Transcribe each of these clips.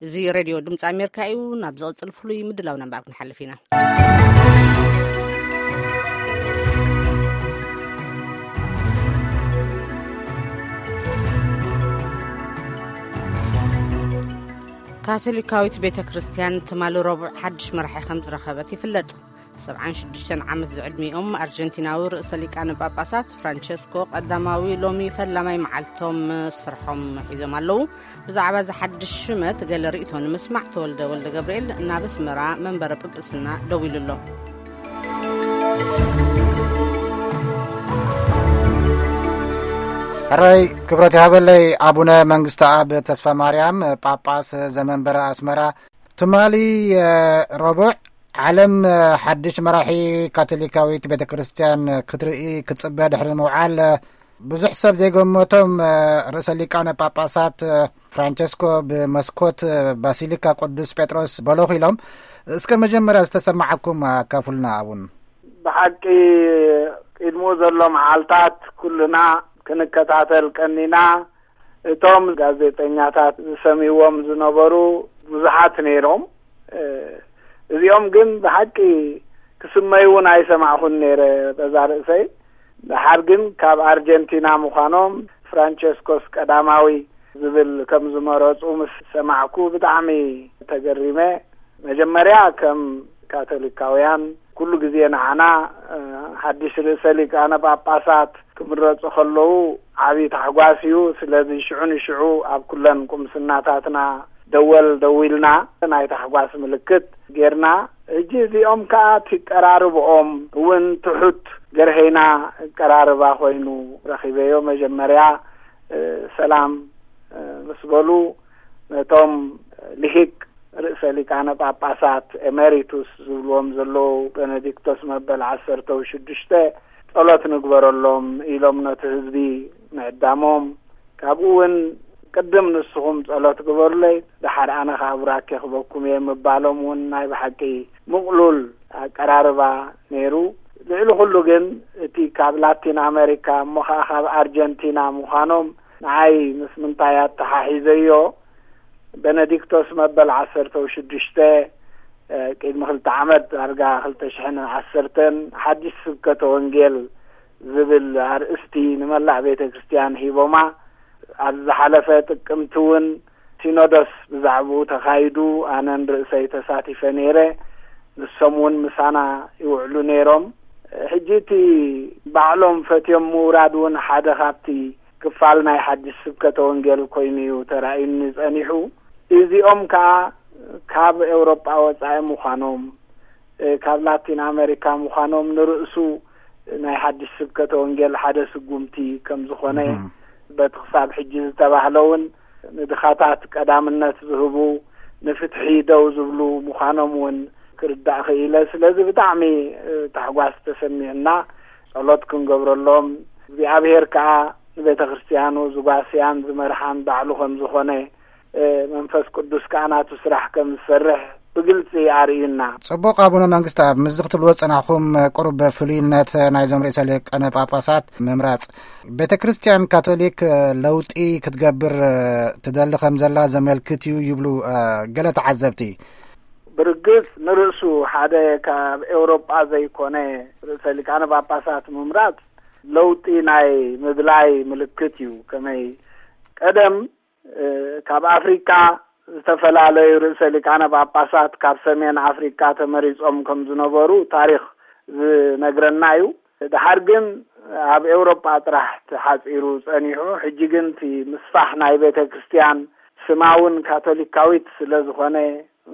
እዚ ሬድዮ ድምፂ ኣሜሪካ እዩ። ናብ ዝቕፅል ፍሉይ ምድላው ነንባር ክንሓልፍ ኢና። ካቶሊካዊት ቤተ ክርስቲያን ትማሊ ረቡዕ ሓድሽ መራሒ ከም ዝረኸበት ይፍለጥ። ሰብዓን ሽዱሽተን ዓመት ዝዕድሚኦም ኣርጀንቲናዊ ርእሰ ሊቃነ ጳጳሳት ፍራንቸስኮ ቀዳማዊ ሎሚ ፈላማይ መዓልቶም ስርሖም ሒዞም ኣለዉ። ብዛዕባ እዚ ሓድሽ ሽመት ገለ ርእይቶ ንምስማዕ ተወልደ ወልደ ገብርኤል ናብ ኣስመራ መንበረ ጵጵስና ደዊሉ ኣሎ። ሕራይ ክብረት ይሃበለይ ኣቡነ መንግስተ ኣብ ተስፋ ማርያም ጳጳስ ዘመንበረ ኣስመራ። ትማሊ ረቡዕ ዓለም ሓድሽ መራሒ ካቶሊካዊት ቤተ ክርስቲያን ክትርኢ ክትጽበ ድሕሪ ምውዓል ብዙሕ ሰብ ዘይገመቶም ርእሰ ሊቃነ ጳጳሳት ፍራንቸስኮ ብመስኮት ባሲሊካ ቅዱስ ጴጥሮስ በለኹ ኢሎም። እስከ መጀመርያ ዝተሰማዓኩም ኣካፍሉና ኣቡን። ብሓቂ ቅድሙ ዘሎ መዓልታት ኩልና ክንከታተል ቀኒና። እቶም ጋዜጠኛታት ዝሰምይዎም ዝነበሩ ብዙሓት ነይሮም። እዚኦም ግን ብሓቂ ክስመዩ እውን ኣይሰማዕኹን ነይረ በዛ ርእሰይ። ደሓር ግን ካብ ኣርጀንቲና ምዃኖም ፍራንቸስኮስ ቀዳማዊ ዝብል ከም ዝመረፁ ምስ ሰማዕኩ ብጣዕሚ ተገሪመ። መጀመርያ ከም ካቶሊካውያን ኩሉ ግዜ ንዓና ሓድሽ ርእሰ ሊቃነ ጳጳሳት ክምረፁ ከለዉ ዓብዪ ታሕጓስ እዩ። ስለዚ ሽዑ ንሽዑ ኣብ ኩለን ቁምስናታትና ደወል ደዊልና ናይ ታሕጓስ ምልክት ጌርና። ሕጂ እዚኦም ከኣ እቲ ቀራርብኦም እውን ትሑት ገርሀይና ቀራርባ ኮይኑ ረኺበዮ። መጀመርያ ሰላም ምስ በሉ ነቶም ልሂቅ ርእሰ ሊቃነ ጳጳሳት ኤሜሪቱስ ዝብልዎም ዘለዉ ቤኔዲክቶስ መበል ዓሰርተ ሽዱሽተ ጸሎት ንግበረሎም ኢሎም ነቲ ህዝቢ ምዕዳሞም፣ ካብኡ እውን ቅድም ንስኹም ጸሎት ግበሩለይ፣ ደሓር ኣነ ኸዓ ቡራኬ ክበኩም እየ ምባሎም እውን ናይ ብሓቂ ምቕሉል ኣቀራርባ ነይሩ። ልዕሊ ኩሉ ግን እቲ ካብ ላቲን ኣሜሪካ እሞ ኸዓ ካብ ኣርጀንቲና ምዃኖም ንዓይ ምስ ምንታይ ኣተሓሒዘዮ፣ ቤነዲክቶስ መበል ዓሰርተ ሽዱሽተ ቅድሚ ክልተ ዓመት ዳርጋ ክልተ ሽሕን ዓሰርተን ሓድሽ ስብከተ ወንጌል ዝብል ኣርእስቲ ንመላእ ቤተ ክርስቲያን ሂቦማ። ኣብ ዝሓለፈ ጥቅምቲ እውን ሲኖዶስ ብዛዕባኡ ተኻይዱ፣ ኣነን ርእሰይ ተሳቲፈ ነይረ። ንሶም እውን ምሳና ይውዕሉ ነይሮም። ሕጂ እቲ ባዕሎም ፈትዮም ምውራድ እውን ሓደ ካብቲ ክፋል ናይ ሓድሽ ስብከተ ወንጌል ኮይኑ እዩ ተራእዩኒ ጸኒሑ። እዚኦም ከኣ ካብ ኤውሮጳ ወጻኢ ምዃኖም፣ ካብ ላቲን ኣሜሪካ ምዃኖም ንርእሱ ናይ ሓድሽ ስብከተ ወንጌል ሓደ ስጉምቲ ከም ዝኾነ፣ በቲ ክሳብ ሕጂ ዝተባህለ እውን ንድኻታት ቀዳምነት ዝህቡ፣ ንፍትሒ ደው ዝብሉ ምዃኖም እውን ክርዳእ ክኢለ። ስለዚ ብጣዕሚ ታሕጓስ ተሰሚዑና፣ ጸሎት ክንገብረሎም፣ እግዚኣብሔር ከኣ ንቤተ ክርስቲያኑ ዝጓስያን ዝመርሓን ባዕሉ ከም ዝኾነ፣ መንፈስ ቅዱስ ከኣ ናቱ ስራሕ ከም ዝሰርሕ ብግልጺ ኣርእዩና። ጽቡቕ ኣቡነ መንግስተ ኣብ፣ ምስዚ ክትብልዎ ዝጸናሕኩም ቁሩብ ፍሉይነት ናይዞም ርእሰ ሊቃነ ጳጳሳት ምምራጽ፣ ቤተ ክርስቲያን ካቶሊክ ለውጢ ክትገብር ትደሊ ከም ዘላ ዘመልክት እዩ ይብሉ ገለ ተዓዘብቲ። ብርግጽ ንርእሱ ሓደ ካብ ኤውሮጳ ዘይኮነ ርእሰ ሊቃነ ጳጳሳት ምምራጽ ለውጢ ናይ ምድላይ ምልክት እዩ። ከመይ ቀደም ካብ ኣፍሪካ ዝተፈላለዩ ርእሰ ሊቃነ ጳጳሳት ካብ ሰሜን ኣፍሪካ ተመሪጾም ከም ዝነበሩ ታሪኽ ዝነግረና እዩ። ድሓር ግን ኣብ ኤውሮጳ ጥራሕ ተሓጺሩ ጸኒሑ። ሕጂ ግን እቲ ምስፋሕ ናይ ቤተ ክርስቲያን ስማ እውን ካቶሊካዊት ስለ ዝኾነ፣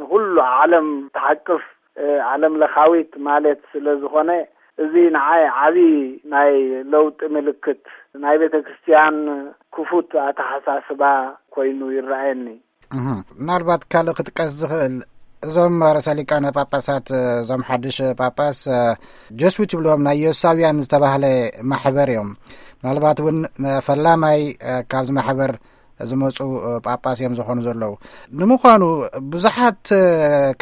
ንኹሉ ዓለም ትሓቅፍ ዓለም ለኻዊት ማለት ስለ ዝኾነ፣ እዚ ንዓይ ዓቢ ናይ ለውጢ ምልክት፣ ናይ ቤተ ክርስቲያን ክፉት ኣተሓሳስባ ኮይኑ ይረኣየኒ። ምናልባት ካልእ ክጥቀስ ዝኽእል፣ እዞም ርእሰ ሊቃነ ጳጳሳት፣ እዞም ሓድሽ ጳጳስ ጀስዊት ይብልዎም፣ ናይ ዮሳውያን ዝተባህለ ማሕበር እዮም። ምናልባት እውን ፈላማይ ካብዚ ማሕበር ዝመፁ ጳጳስ እዮም ዝኾኑ ዘለዉ። ንምዃኑ ብዙሓት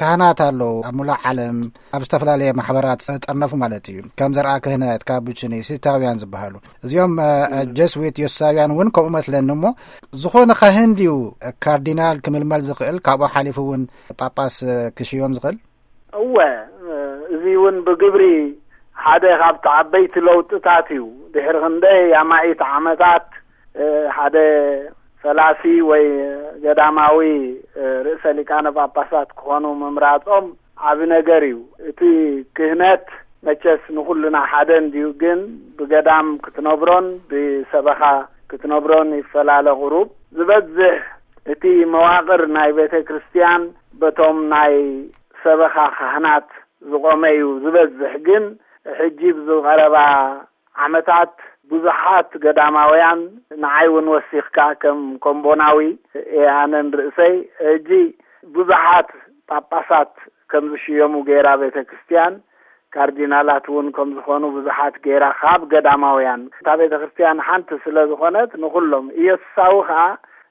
ካህናት ኣለዉ ኣብ ሙሉእ ዓለም ኣብ ዝተፈላለየ ማሕበራት ዝጠርነፉ ማለት እዩ። ከም ዘርኣ ክህነት፣ ካቡችኒ፣ ሲታውያን ዝበሃሉ፣ እዚኦም ጀስዊት ዮሳውያን እውን ከምኡ መስለኒ። እሞ ዝኾነ ካህን ድዩ ካርዲናል ክምልመል ዝኽእል፣ ካብኡ ሓሊፉ እውን ጳጳስ ክሽዮም ዝኽእል? እወ፣ እዚ እውን ብግብሪ ሓደ ካብቲ ዓበይቲ ለውጥታት እዩ። ድሕሪ ክንደይ ኣማኢት ዓመታት ሓደ ፈላሲ ወይ ገዳማዊ ርእሰ ሊቃነ ጳጳሳት ክኾኑ ምምራጾም ዓቢ ነገር እዩ። እቲ ክህነት መቸስ ንኹልና ሓደ እንድዩ፣ ግን ብገዳም ክትነብሮን ብሰበኻ ክትነብሮን ይፈላለ። ቁሩብ ዝበዝሕ እቲ መዋቕር ናይ ቤተ ክርስቲያን በቶም ናይ ሰበኻ ካህናት ዝቖመ እዩ ዝበዝሕ። ግን ሕጂ ብዝቐረባ ዓመታት ብዙሓት ገዳማውያን፣ ንዓይ እውን ወሲኽካ፣ ከም ኮምቦናዊ እየ ኣነን ርእሰይ፣ ሕጂ ብዙሓት ጳጳሳት ከም ዝሽየሙ ገይራ ቤተ ክርስቲያን፣ ካርዲናላት እውን ከም ዝኾኑ ብዙሓት ገይራ ካብ ገዳማውያን። እታ ቤተ ክርስቲያን ሓንቲ ስለ ዝኾነት ንኹሎም ኢየሱሳዊ ኸኣ፣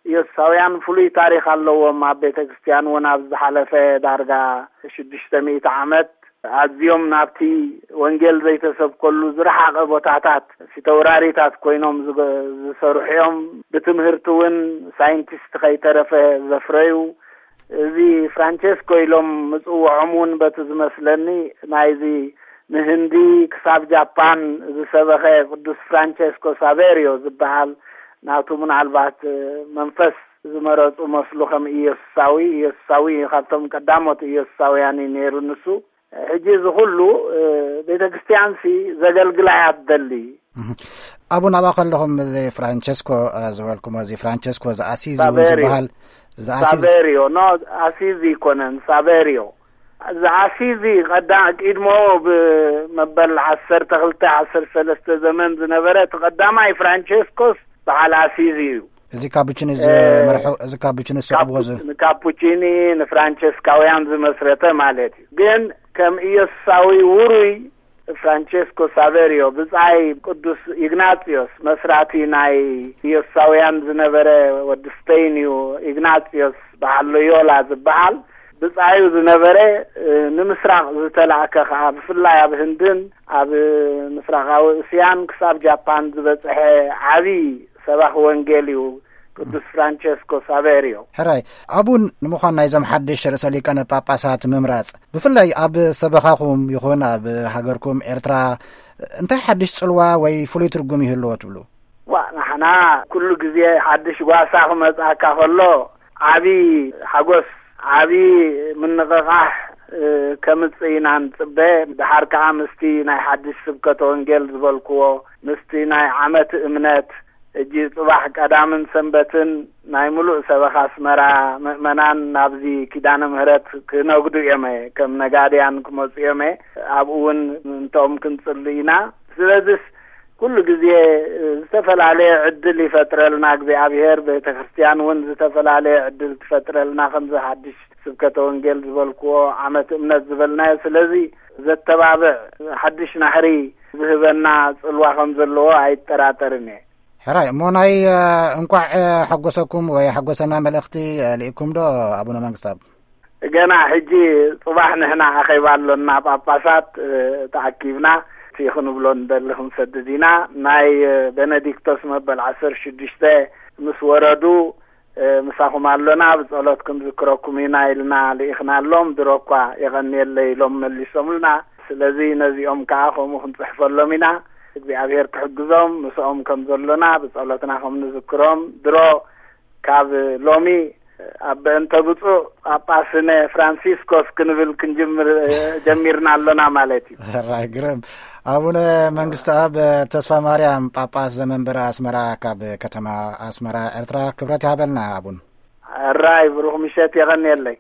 ኢየሱሳውያን ፍሉይ ታሪኽ ኣለዎም። ኣብ ቤተ ክርስቲያን እውን ኣብ ዝሓለፈ ዳርጋ ሽዱሽተ ሚእቲ ዓመት ኣዝዮም ናብቲ ወንጌል ዘይተሰብከሉ ዝረሓቐ ቦታታት ፊተውራሪታት ኮይኖም ዝገ-፣ ዝሰርሑ እዮም። ብትምህርቲ እውን ሳይንቲስት ከይተረፈ ዘፍረዩ። እዚ ፍራንቸስኮ ኢሎም ምጽውዖም እውን በቲ ዝመስለኒ ናይዚ ንህንዲ ክሳብ ጃፓን ዝሰበኸ ቅዱስ ፍራንቸስኮ ሳቬሪዮ ዝበሃል ናቱ ምናልባት መንፈስ ዝመረጹ መስሉ ከም ኢየሱሳዊ፣ ኢየሱሳዊ ካብቶም ቀዳሞት ኢየሱሳውያን እዩ ነይሩ ንሱ። ሕጂ እዚ ኩሉ ቤተ ክርስቲያንሲ ዘገልግላ እያ ትደሊ። እህ። ኣቡን፣ ኣብኣ ከለኹም እዚ ፍራንቸስኮ፣ እ፣ ዝበልኩሞ፣ እዚ ፍራንቸስኮ ዘኣሲዚ እውን ሳቬሪዮ። ዝበሃል፣ ዘኣሲዚ ሳቬሪዮ፣ ኖ፣ ኣሲዚ ኣይኮነን፣ ሳቬሪዮ። ዘኣሲዚ ቀዳ-፣ ቂድሞ ብመበል ዓሰርተ ክልተ፣ ዓሰርተ ሰለስተ ዘመን ዝነበረ እቲ ቀዳማይ ፍራንቸስኮስ በዓል ኣሲዚ እዩ። እዚ ካፑቺኒ እ፣ ዝመርሑ፣ እዚ ካፑቺኒ ዝስዕብዎ ዝ- ካፑ-፣ ንካፑቺኒ ንፍራንቸስካውያን ዝመስረተ ማለት እዩ። ግን ከም ኢየሱሳዊ ውሩይ ፍራንቸስኮ ሳቬሪዮ፣ ብጻይ ቅዱስ ኢግናጽዮስ፣ መስራቲ ናይ ኢየሱሳውያን ዝነበረ፣ ወዲ ስፔን እዩ፣ ኢግናጽዮስ በዓል ሎዮላ ዝበሃል ብጻዩ ዝነበረ፣ እ፣ ንምስራቕ ዝተላእከ ከኣ፣ ብፍላይ ኣብ ህንድን ኣብ ምስራቓዊ እስያን ክሳብ ጃፓን ዝበጽሐ ዓቢ ሰባኺ ወንጌል እዩ። ቅዱስ ፍራንቸስኮ ሳቬሪዮ። ሕራይ፣ ኣቡን ንምዃን ናይዞም ሓድሽ ርእሰ ሊቃነ ጳጳሳት ምምራጽ፣ ብፍላይ ኣብ ሰበኻኹም ይኹን ኣብ ሃገርኩም ኤርትራ፣ እንታይ ሓድሽ ጽልዋ ወይ ፍሉይ ትርጉም ይህልዎ ትብሉ? ዋ፣ ንሕና ኩሉ ግዜ ሓድሽ ጓሳ ክመጽኣካ ከሎ ዓቢ ሓጎስ፣ ዓቢ ምንቕቓሕ፣ እ፣ ከምጽእ ኢና ንጽበ። ድሓር ከኣ ምስቲ ናይ ሓድሽ ስብከተ ወንጌል ዝበልክዎ፣ ምስቲ ናይ ዓመት እምነት፣ ሕጂ ጽባሕ ቀዳምን ሰንበትን ናይ ምሉእ ሰበኻ ኣስመራ ምእመናን ናብዚ ኪዳነ ምህረት ክነግዱ እዮም፣ ከም ነጋድያን ክመጹ እዮም። ኣብኡ እውን ምእንትኦም ክንጽሊ ኢና። ስለዚስ ኩሉ ግዜ ዝተፈላለየ ዕድል ይፈጥረልና እግዚኣብሔር፣ ቤተ ክርስቲያን እውን ዝተፈላለየ ዕድል ትፈጥረልና፣ ከምዚ ሓድሽ ስብከተ ወንጌል ዝበልክዎ፣ ዓመት እምነት ዝበልናዮ። ስለዚ ዘተባብዕ ሓድሽ ናህሪ ዝህበና ጽልዋ ከም ዘለዎ ኣይጠራጠርን እየ። ሕራይ፣ እሞ ናይ፣ እ፣ እንቋዕ፣ እ፣ ሓጎሰኩም ወይ ሓጎሰና መልእኽቲ፣ እ፣ ልኢኩም ዶ ኣቡነ መንግስታብ? ገና ሕጂ ጽባሕ ንሕና ኣኼባ ኣሎና፣ ጳጳሳት፣ እ፣ ተኣኪብና፣ እቲ ክንብሎ ንደሊ ክንሰድድ ኢና። ናይ፣ እ፣ ቤነዲክቶስ መበል ዓሰርተ ሽዱሽተ ምስ ወረዱ፣ እ፣ ምሳኹም ኣሎና፣ ብጸሎት ክንዝክረኩም ኢና ኢልና ልኢኽናሎም። ድሮ እኳ የቐንየለይ ኢሎም መሊሶምልና። ስለዚ ነዚኦም ከኣ ከምኡ ክንጽሕፈሎም ኢና። እግዚኣብሔር ክሕግዞም፣ ምስኦም ከም ዘሎና ብጸሎትና ከም ንዝክሮም። ድሮ ካብ ሎሚ ኣብ በእንተ ብፁዕ ጳጳስነ ፍራንሲስኮስ ክንብል ክንጅምር፣ እ፣ ጀሚርና ኣሎና ማለት እዩ። ሕራይ ግርም። ኣቡነ መንግስቲ ኣብ ተስፋ ማርያም ጳጳስ ዘመንበረ ኣስመራ ካብ ከተማ ኣስመራ ኤርትራ፣ ክብረት ይሃበልና ኣቡን። ሕራይ ብሩኽ ምሸት፣ የቐንየለይ።